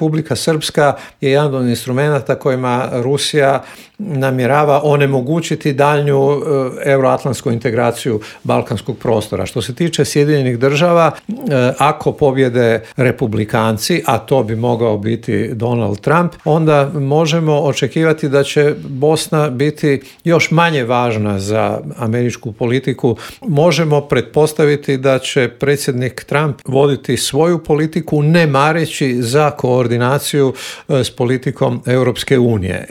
Republika Srpska je jedan od instrumenata kojima Rusija namjerava onemogućiti daljnju euroatlantsku integraciju balkanskog prostora. Što se tiče Sjedinjenih država, ako pobjede republikanci, a to bi mogao biti Donald Trump, onda možemo očekivati da će Bosna biti još manje važna za američku politiku. Možemo pretpostaviti da će predsjednik Trump voditi svoju politiku ne mareći za koordinaciju s politikom Europske unije.